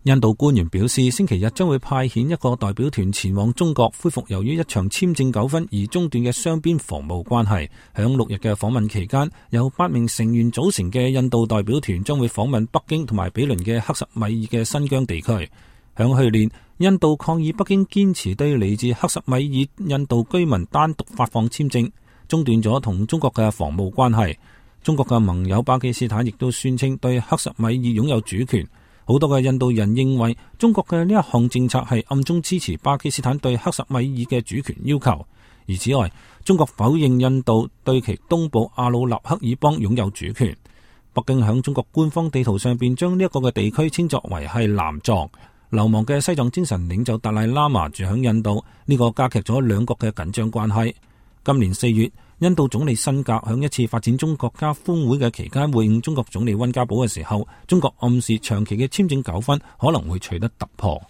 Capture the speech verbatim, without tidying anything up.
印度官員表示，星期日將會派遣一個代表團前往中國，恢復由於一場簽證糾紛而中斷嘅雙邊防務關係。響六日嘅訪問期間，由八名成員組成嘅印度代表團將會訪問北京同埋毗鄰嘅克什米爾嘅新疆地區。響去年，印度抗議北京堅持對嚟自克什米爾印度居民單獨發放簽證，中斷咗同中國嘅防務關係。中國嘅盟友巴基斯坦亦都宣稱對克什米爾擁有主權。好多嘅印度人認為中國嘅呢一項政策係暗中支持巴基斯坦對克什米爾嘅主權要求。而此外，中國否認印度對其東部阿魯納克爾邦擁有主權。北京響中國官方地圖上邊將呢一個嘅地區稱作為係南藏。流亡嘅西藏精神領袖達賴喇嘛住響印度，呢個加劇咗兩國嘅緊張關係。今年四月，印度總理辛格響一次發展中國家峰會嘅期間會晤中國總理溫家寶嘅時候，中國暗示長期嘅簽證糾紛可能會取得突破。